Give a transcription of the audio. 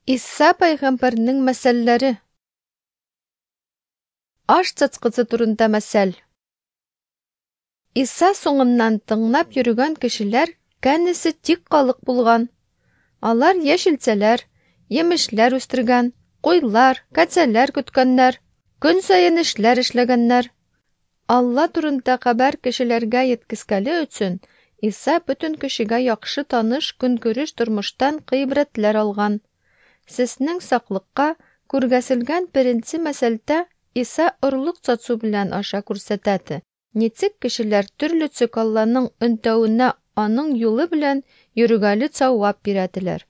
Иса пайгамбарның мәсәлләре. Аш цацкысы турында мәсәл. Иса соңыннан тыңлап йөргән кешеләр кәнесе тик калык булган. Алар яшелчәләр, емешләр үстергән, куйлар, кәцәләр көткәннәр, көн саен эшләр эшләгәннәр. Алла турында хәбәр кешеләргә еткезгәле өчен Иса бөтен кешегә яхшы таныш көнкүреш тормыштан гыйбрәтләр алган. Сезнең саклыкка күргәселгән беренче мәсәлдә Иса орлык сату белән аша күрсәтәде. Ничек кешеләр төрлечә Алланың өнтәвенә аның юлы белән йөрүгәле цавап бирәделәр.